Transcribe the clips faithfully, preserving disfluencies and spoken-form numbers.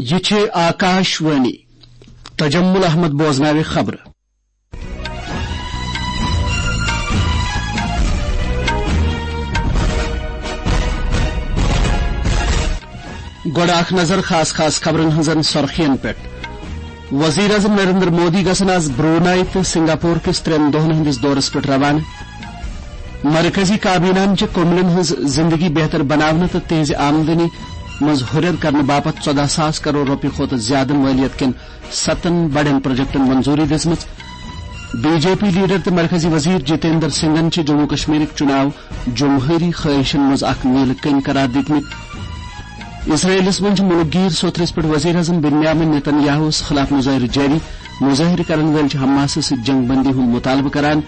یہِ چھِ آکاش وانی۔ تجمل احمد بوزناوِ خبرٕ۔ گۄڈٕ اکھ نظر خاص خاص خبرن ہٕنٛزن سرخین پٮ۪ٹھ۔ وزیر اعظم نریندر مودی گژھن آز برونائی تہٕ سنگاپور کِس ترٛٮ۪ن دۄہن ہٕنٛدِس دورس پٮ۪ٹھ روانہٕ۔ مرکزی کابینہن چھِ کملن ہٕنٛز زندگی بہتر بناونہٕ تہٕ تِہنٛزِ آمدنی منٛز ہُرٮ۪ر کرنہٕ باپتھ ژۄدہ ساس کرور رۄپیہِ کھۄتہٕ زیادٕ مٲلیت کٮ۪ن ستن بڑٮ۪ن پروجیکٹن منظوٗری دِژمٕژ۔ بی جے پی لیڈر تہٕ مرکزی وزیر جتیندر سنگھن چھِ جموں کشمیرٕکۍ چُناو جمہوری خواہشن منٛز اکھ نیلہٕ کٔنۍ قرار دِتمٕتۍ۔ اسرائیلس منٛز چھِ مُلک گیٖر سوٚتھرس پٮ۪ٹھ وزیر اعظم بنیامن نیتن یاہوس خلاف مظٲہرٕ جٲری۔ مظٲہرٕ کرن وٲلۍ چھِ حماسس سۭتۍ جنگ بندی ہُنٛد مطالبہٕ کران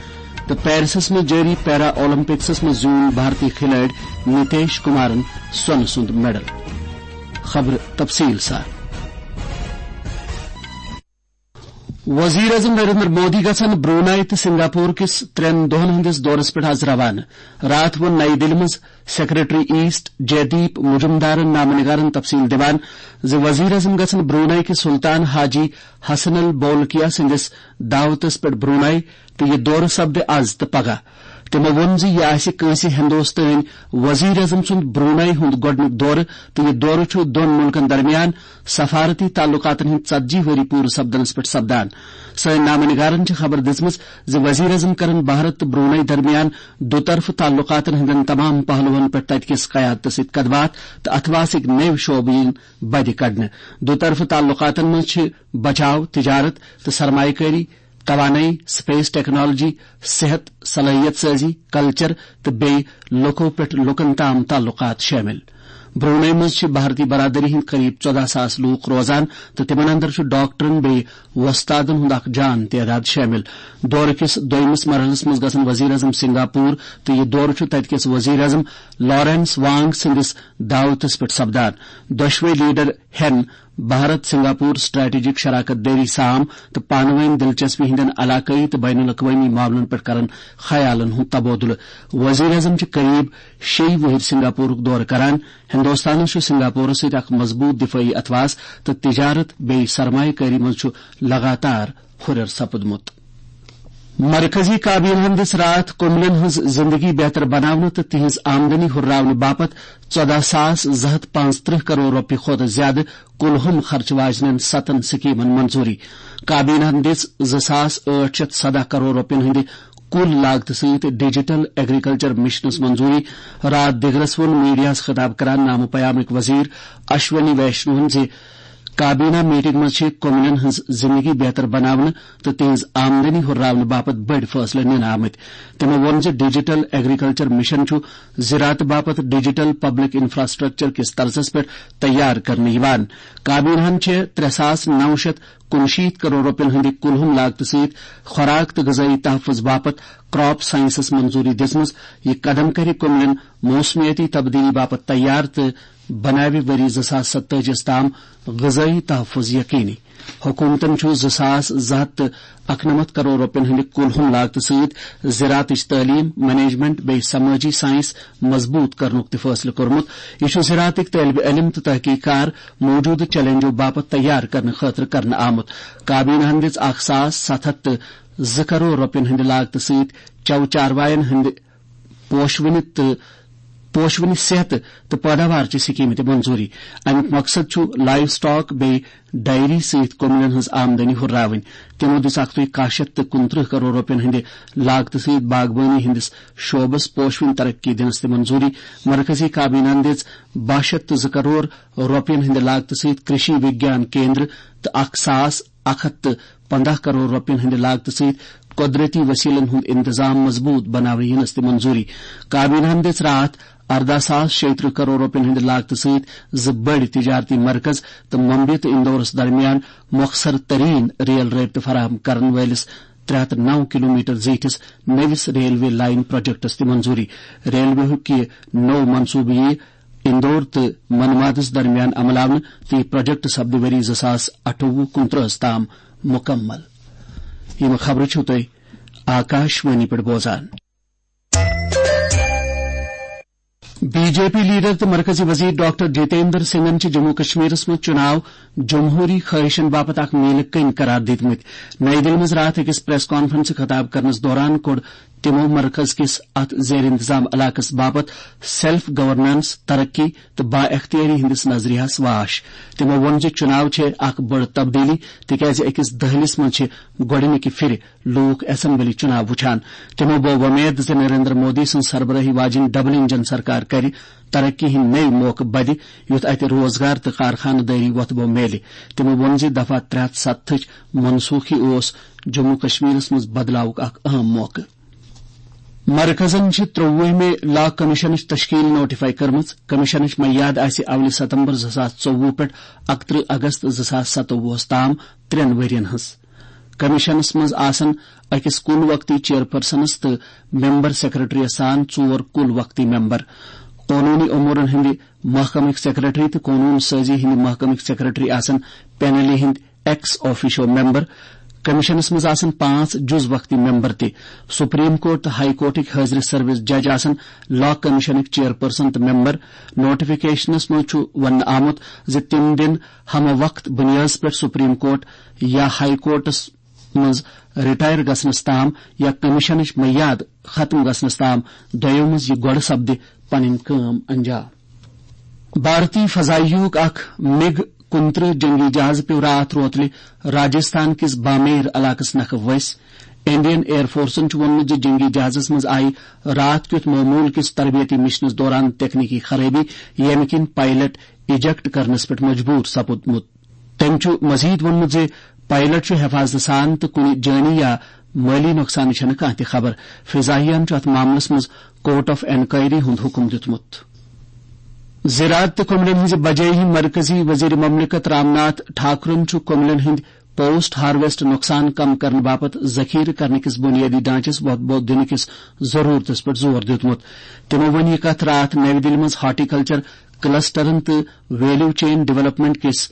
تہٕ پیرسس منٛز جٲری پیرا اولمپکسس منٛز زیوٗن بھارتی کھلٲڑۍ نتیش کمارن سۄنہٕ سُنٛد میڈل۔ خبرٕ تفصیل سان۔ وزیر اعظم نریندر مودی گژھن برونائی تہٕ سنگاپور کِس ترٛٮ۪ن دۄہن ہٕنٛدِس دورس پٮ۪ٹھ آز روانہٕ۔ راتھ ووٚن نَیہِ دِلہِ منٛز سیکرٹری ایسٹ جیدیپ مجمدارن نامہ نگارن تفصیل دِوان زِ وزیر اعظم گژھن برونائی کِس سلطان حاجی حسن البولکیا سٕنٛدِس دعوتس پٮ۪ٹھ برونائی تہٕ یہِ دورٕ سپدِ از تہٕ پگاہ۔ تِمو ووٚن زِ یہِ آسہِ کٲنٛسہِ ہندوستٲنۍ وزیر اعظم سُنٛد برونائی ہُنٛد گۄڈٕنیُک دورٕ تہٕ یہِ دورٕ چھُ دۄن مُلکن درمیان سفارتی تعلقاتن ہٕنٛدۍ ژتجی ؤری پوٗرٕ سپدنس پٮ۪ٹھ سپدان۔ سٲنۍ نامہ نگارن چھِ خبر دِژمٕژ زِ وزیر اعظم کرن بھارت تہٕ برونائی درمیان دُطرفہٕ تعلقاتن ہٕنٛدٮ۪ن تمام پہلوہن پٮ۪ٹھ تتہِ کِس قیادتس سۭتۍ کتھ باتھ تہٕ اتھواسٕکۍ نٔوۍ شعبہٕ یِن بدِ کڑنہٕ۔ دُطرفہٕ تعلقاتن منٛز چھِ بچاو، تجارت تہٕ سرمایہ کٲری، توانٲیی، سپیس ٹیکنالوجی، صحت، صلٲحیت سازی، کلچر تہٕ بیٚیہِ لوکو پٮ۪ٹھ لوکن تام تعلقات شٲمِل۔ برونائی منٛز چھِ بھارتی برادری ہٕنٛدۍ قریب ژۄدہ ساس لوٗکھ روزان تہٕ تِمن اندر چھُ ڈاکٹرن بیٚیہِ وۄستادن ہُنٛد اکھ جان تعداد شٲمِل۔ دورٕ کِس دوٚیمِس مرحلس منٛز گژھن وزیر اعظم سنگاپور تہٕ یہِ دورٕ چھُ تتہِ کِس وزیر اعظم لارنس وانگ سٕنٛدِس دعوتس پٮ۪ٹھ سپدان۔ دۄشوے لیڈر ہٮ۪ن بھارت سنگاپور سٹریٹجک شراکت دٲری سام تہٕ پانہٕ وٲنۍ دلچسپی ہٕنٛدٮ۪ن علاقٲیی تہٕ بین الاقوٲمی معاملن پٮ۪ٹھ کرن خیالن ہُنٛد تبادلہٕ۔ وزیر اعظم چھِ قریب شیٚیہِ وُہٕرۍ سنگاپورُک دورٕ کران۔ ہندوستانس چھُ سنگاپورس سۭتۍ اکھ مضبوط دفٲعی اتھواس تہٕ تجارت بیٚیہِ سرمایہ کٲری منٛز چھُ لگاتار ہُرٮ۪ر سپُدمُت۔ مرکزی کابینہن دِژ راتھ کملن ہٕنٛز زندگی بہتر بناونہٕ تہٕ تِہنٛز آمدنی ہُرراونہٕ باپتھ ژۄدہ ساس زٕ ہتھ پانٛژترٕہ کرور رۄپیہِ کھۄتہٕ زیادٕ کُل ہُم خرچہٕ واجنٮ۪ن ستن سکیمن منظوٗری۔ کابینہن دِژ زٕ ساس ٲٹھ شیٚتھ سدہ کرور رۄپین ہٕنٛدِ کُل لاگتہٕ سۭتۍ ڈیجیٹل ایگریکلچر مشنس منظوٗری۔ راتھ دِگرس ووٚن میڈیاہس خطاب کران نامہٕ پیامٕکۍ وزیر اشونی ویشنوہن زِ کابینہ میٹنگ منٛز چھِ کملن ہٕنٛز زندگی بہتر بناونہٕ تہٕ تِہنٛز آمدنی ہُرراونہٕ باپتھ بٔڑۍ فٲصلہٕ نِنہٕ آمٕتۍ۔ تِمو ووٚن زِ ڈیجیٹل ایگریکلچر مشن چھُ زراعتہٕ باپتھ ڈیجیٹل پبلک انفراسٹرکچر کِس طرزس پٮ۪ٹھ تیار کرنہٕ یِوان۔ کابینہن چھِ ترٛےٚ ساس نو شیٚتھ کُنشیٖتھ کرور رۄپین ہٕنٛدِ کُلہُم لاگتہٕ سۭتۍ خوراک تہٕ غذٲیی تحفظ باپتھ کراپ سائنسس منظوٗری دِژمٕژ۔ یہِ قدم کرِ کملن موسمیٲتی تبدیلی باپتھ تیار تہٕ بناوِ ؤری زٕ ساس ستٲجی یَس تام غذٲیی تحفظ یقینی۔ حکومتن چھُ زٕ ساس زٕ ہتھ تہٕ اَکنَمَتھ کرور رۄپین ہٕنٛدِ کُل ہُم لاگتہٕ سۭتۍ زراعتٕچ تعلیٖم، مینجمنٹ بیٚیہِ سمٲجی سائنس مضبوٗط کرنُک تہِ فٲصلہٕ کوٚرمُت۔ یہِ چھُ زراعتٕکۍ طٲلبہِ علم تہٕ تحقیق کار موجودٕ چیلنجو باپتھ تیار کرنہٕ خٲطرٕ کرنہٕ آمُت۔ کابینہن دِژ اکھ ساس ستھ ہتھ تہٕ زٕ کرور رۄپین ہٕنٛدِ لاگتہٕ سۭتۍ چَو چاروایَن ہٕنٛدِ پوشوٕنہِ تہٕ پوشوٕنہِ صحت تہٕ پٲداوار چہِ سکیمہِ تہِ منظوٗری۔ اَمیُک مقصد چھُ لائیو سٹاک بیٚیہِ ڈائری سۭتۍ کملن ہٕنٛز آمدنی ہُرراوٕنۍ۔ تِمو دِژ اکھ تُے کاہ شیٚتھ تہٕ کُنترٕہ کرور رۄپین ہٕنٛدِ لاگتہٕ سۭتۍ باغبٲنی ہٕنٛدِس شعبس پوشوٕنۍ ترقی دِنس تہِ منظوٗری۔ مرکزی کابینہن دِژ باہ شیٚتھ تہٕ زٕ کرور رۄپین ہٕنٛدِ لاگتہٕ سۭتۍ کرشی وگیان کیندر تہٕ اکھ ساس اکھ ہتھ تہٕ پنٛداہ کرور رۄپین ہٕنٛدِ لاگتہٕ سۭتۍ قۄدرٔتی وسیلن ہُنٛد انتظام مضبوٗط بناونہٕ یِنس تہِ منظوٗری۔ کابینہن دِژ راتھ ارداہ ساس شیٚیہِ ترٕٛہ کرور رۄپین ہٕنٛدِ لاگتہٕ سۭتۍ زٕ بٔڑۍ تجارتی مرکز تہٕ ممبیہِ تہٕ اندورس درمیان مۄخصر ترین ریل رٲبطہٕ فراہم کرن وٲلِس ترٛےٚ ہتھ نَو کلومیٹر زیٖٹھِس نٔوِس ریلوے لائن پروجیکٹس تہِ منظوٗری۔ ریلوے ہُک یہِ نوٚو منصوٗبہٕ یِیہِ اندور تہٕ منمادس درمیان عملاونہٕ تہٕ یہِ پروجیکٹ سپدِ ؤری زٕ ساس اَٹھووُہ کُنترٕٛہس تام مُکمل۔ یِم خبرٕ چھِو تُہۍ آکاش وانی پٮ۪ٹھ بوزان۔ بی جے پی لیڈر تہٕ مرکزی وزیر ڈاکٹر جتیندر سنگھن چھِ جموں کشمیرس منٛز چُناو جمہوری خواہشن باپتھ اکھ میلہٕ کٔنۍ قرار دِتمٕتۍ۔ نئی دِلہِ منٛز راتھ أکِس پریس کانفرنسہِ خطاب کرنس دوران کوٚر تِمو مرکز کِس اتھ زیر انتظام علاقس باپتھ سیلف گورننس، ترقی تہٕ با اختیٲری ہٕنٛدِس نظریہس واش۔ تِمو ووٚن زِ چُناو چھِ اکھ بٔڑ تبدیلی، تِکیازِ أکِس دٔہلِس منٛز چھِ گۄڈٕنِکہِ پھِرِ لوٗکھ اسمبلی چُناو وُچھان۔ تِمو بوو وۄمید زِ نریندر مودی سٕنٛز سربرٲہی واجیٚنۍ ڈبل انجن سرکار کرِ ترقی ہٕنٛدۍ نٔوۍ موقعہٕ بدِ، یُتھ اتہِ روزگار تہٕ کارخانہٕ دٲری وۄتھبو میلہِ۔ تِمو ووٚن زِ دفعہ ترٛےٚ ہتھ ستتھٕچ منسوخی اوس جموں کشمیرس منٛز بدلاوُک اکھ اہم موقعہٕ۔ مرکزن چھِ ترٛوُہمہِ لا کمیشنٕچ تشکیل نوٹیفائی کٔرمٕژ۔ کمیشنٕچ میعاد آسہِ اولہِ ستمبر زٕ ساس ژوٚوُہ پٮ۪ٹھ اکترٕہ اگست زٕ ساس ستووُہس تام ترٛٮ۪ن ؤرین ہٕنٛز۔ کمیشنس منٛز آسن أکِس کُل وقتی چیئرپرسنس تہٕ ممبر سیکرٹریس سان ژور کُل وقتی ممبر۔ قونوٗنی امورن ہٕنٛدِ محکمٕکۍ سیکرٹری تہٕ قونوٗن سٲزی ہٕنٛدِ محکمٕکۍ سیکرٹری آسن پینلہِ ہٕنٛدۍ ایکس آفیشو ممبر۔ کمیشنس منٛز آسن پانٛژھ جُز وقتی ممبر تہِ۔ سپریم کورٹ تہٕ ہائی کورٹٕکۍ حٲضرِ سروس جج آسن لا کمیشنٕکۍ چیئرپرسن تہٕ ممبر۔ نوٹیفکیشنس منٛز چھُ وننہٕ آمُت زِ تِم دِن ہمہ وقت بنیادس پٮ۪ٹھ سپریم کورٹ یا ہائی کورٹس منٛز ریٹائر گژھنس تام یا کمیشنٕچ میعاد ختم گژھنس تام دۄیو منٛز یہِ گۄڈٕ سپدِ پنٕنۍ کٲم انجام۔ بھارتی فضائیہُک اکھ مِگ کُنترٕہ جنگی جہاز پیوٚو راتھ روتلہِ راجستھان کِس بامیر علاقس نکھٕ ؤسۍ۔ انڈین ایئر فورسن چھُ ووٚنمُت زِ جنگی جہازس منٛز آیہِ راتھ کیُتھ معمول کِس تربیتی مشنس دوران تکنیکی خرٲبی، ییٚمہِ کِنۍ پائلٹ ایجیکٹ کرنس پٮ۪ٹھ مجبوٗر سپُدمُت۔ تٔمۍ چھُ مزید ووٚنمُت زِ پائلٹ چھُ حفاظتہٕ سان تہٕ کُنہِ جٲنی یا مٲلی نۄقصانٕچ چھنہٕ کانٛہہ تہِ خبر۔ فضائیہن چھُ اتھ معاملس منٛز کورٹ آف انکوائری ہُنٛد حکم دیُتمُت۔ زراعت تہٕ کۄملن ہٕنٛزِ بجٲیی مرکزی وزیر مملکت رام ناتھ ٹھاکرن چھُ کۄملن ہٕنٛدۍ پوسٹ ہارویسٹ نۄقصان کم کرنہٕ باپتھ ذخیرٕ کرنہٕ کِس بنیٲدی ڈھانچس وۄتھبو دِنہٕ کِس ضرورتس پٮ۪ٹھ زور دیُتمُت۔ تِمو ووٚن یہِ کتھ راتھ نَوِ دِلہِ منٛز ہارٹیکلچر کلسٹرن تہٕ ویلیو چین ڈیولپمنٹ کِس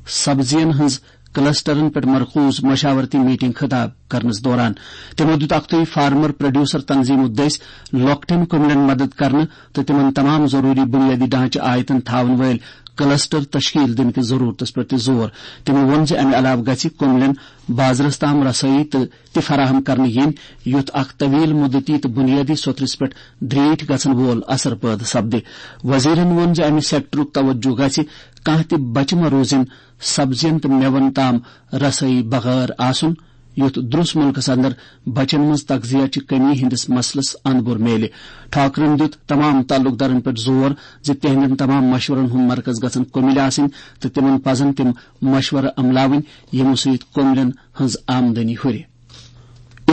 سبزین ہٕنٛز کلسٹرن پٮ۪ٹھ مرکوز مشاورتی میٹنگ خطاب کرنس دوران۔ تِمو دیُت اکھتُے فارمر پروڈیوسر تنظیمو دٔسۍ لۄکٹٮ۪ن کۄملٮ۪ن مدد کرنہٕ تہٕ تِمن تمام ضروٗری بُنیٲدی ڈھانچہٕ آیتن تھاون وٲلۍ کلسٹر تشکیل دِنہٕ کِس ضرورتس پٮ۪ٹھ تہِ زور۔ تِمو ووٚن زِ امہِ علاوٕ گژھِ کۄملٮ۪ن بازرس تام رسٲیی تہٕ تہِ فراہم کرنہٕ یِنۍ، یُتھ اکھ طویل مدتی تہٕ بُنیٲدی سوٚتھرِس پٮ۪ٹھ دریٖٹھۍ گژھن وول اثر پٲدٕ سپدِ۔ وزیرن ووٚن زِ امہِ سیکٹرُک توجہ گژھِ کانٛہہ تہِ بچہِ مہ روزِن سبزین تہٕ میوَن تام رسٲیی بغٲر آسُن، یُتھ درُس مُلکس اندر بچن منٛز تغذیہ چہِ کمی ہٕنٛدِس مسلس اند بُر میلہِ۔ ٹھاکرن دیُت تمام تعلق دارن پٮ۪ٹھ زور زِ تِہنٛدٮ۪ن تمام مشورن ہُنٛد مرکز گژھن کۄمِلۍ آسٕنۍ تہٕ تِمن پزن تِم مشورٕ عملاوٕنۍ، یِمو سۭتۍ کۄملٮ۪ن ہٕنٛز آمدنی ہُرِ۔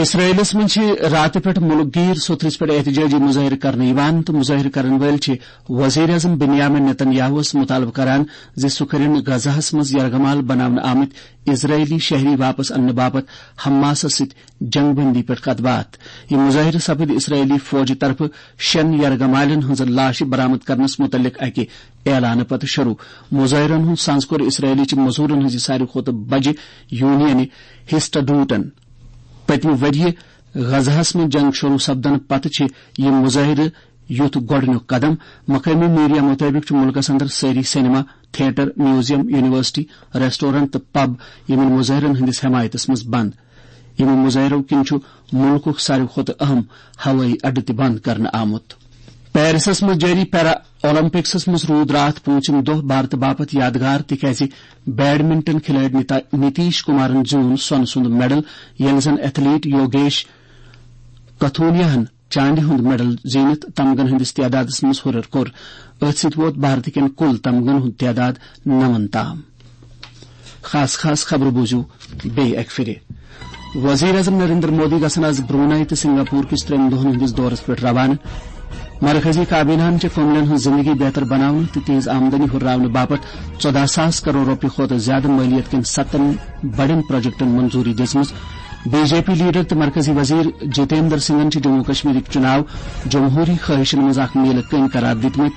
اسرائیلس منٛز چھِ راتہٕ پٮ۪ٹھ مُلک گیٖر سوٚتھرِس پٮ۪ٹھ احتجاجی مظٲہرٕ کرنہٕ یِوان تہٕ مظٲہرٕ کرن وٲلۍ چھِ وزیر اعظم بنیامین نیتن یاہوس مطالبہٕ کران زِ سُہ کٔرِن غزہس منٛز یرغمال بناونہٕ آمٕتۍ اسرائیلی شہری واپس اننہٕ باپتھ حماسس سۭتۍ جنگ بندی پٮ۪ٹھ کتھ باتھ۔ یہِ مظٲہرٕ سپٕدۍ اسرائیلی فوجہِ طرفہٕ شٮ۪ن یرغمالٮ۪ن ہٕنٛزٕ لاشہِ برآمد کرنس مُتعلق اکہِ اعلانہٕ پتہٕ شروع۔ مظٲہرن ہُنٛد سنز کوٚر اسرائیلی چہِ مزوٗرن ہٕنٛزِ ساروی کھۄتہٕ بجہِ یونینہِ ہسٹڈوٹن۔ پٔتمہِ ؤرۍ یہِ غزہس منٛز جنگ شروع سپدنہٕ پتہٕ چھِ یہِ مظٲہرٕ یُتھ گۄڈٕنیُک قدم۔ مقٲمی میڈیا مُطٲبِق چھُ مُلکَس اندر سٲری cinema, theatre, museum, university, restaurant تہٕ پب یِمَن مظٲہرَن ہٕنٛدِس حمایتَس منٛز بنٛد۔ یِمو مظٲہرو کِنۍ چھُ مُلکُک ساروی کھۄتہٕ اہم ہوٲیی اڈٕ تہِ بنٛد کرنہٕ آمُت۔ پیرسَس منٛز جٲری پیرا اولمپکسَس منٛز روٗد راتھ پوٗنٛژِم دۄہ بھارتہٕ باپتھ یادگار، تِکیازِ بیڈمنٹن کھلٲڑۍ نِتا-، نتیش کمارَن زیوٗن سۄنہٕ سُنٛد میڈل، ییٚلہِ زَن ایتھلیٹ یوگیش کتھونیاہَن چاندِ ہُنٛد میڈل زیٖنِتھ تمغن ہٕنٛدِس تعدادَس منٛز ہُرٮ۪ر کوٚر۔ أتھۍ سۭتۍ ووت بھارتہٕ کٮ۪ن کُل تمغن ہُنٛد تعداد نَوَن تام۔ خاص خاص خبرٕ بوٗزِو بیٚیہِ اَکہِ پھِرِ۔ وزیر اعظم نریندر مودی گژھن آز برونائی تہٕ سنگاپور کِس ترٛٮ۪ن دۄہَن ہٕنٛدِس دورَس پٮ۪ٹھ روانہٕ۔ مرکزی کابیناہَن چھِ کۄملٮ۪ن ہٕنٛز زِندگی بہتر بناونہٕ تہٕ تِہنٛز آمدنی ہُرراونہٕ باپتھ ژۄداہ ساس کرور رۄپیہِ کھۄتہٕ زِیٛادٕ مٲلیت کٮ۪ن ستَن بڑٮ۪ن پروجیکٹَن منظوٗری دِژمٕژ۔ بی جے پی لیڈر تہٕ مرکزی وزیر جتیندر سنگھن چھِ جموں کشمیرٕکۍ چُناو جمہوری خواہشن منٛز اکھ میلہٕ کٔنۍ قرار دِتمٕتۍ۔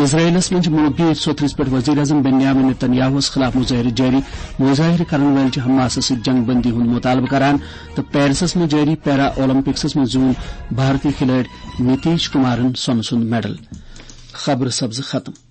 اسرائیلس منٛز چھِ مُلک گیٖر سوٚتھرِس پٮ۪ٹھ وزیر اعظم بنیامین نیتن یاہوس خلاف مظٲہرٕ جٲری۔ مظٲہرٕ کرن وٲلۍ چھِ حماسس سۭتۍ جنگ بندی ہُنٛد مطالبہٕ کران تہٕ پیرسس منٛز جٲری پیرا اولمپکسس منٛز زیوٗن بھارتی کھلٲڑۍ نتیش کمارن سۄنہٕ سُنٛد میڈل۔ خبرٕ سبزٕ ختم۔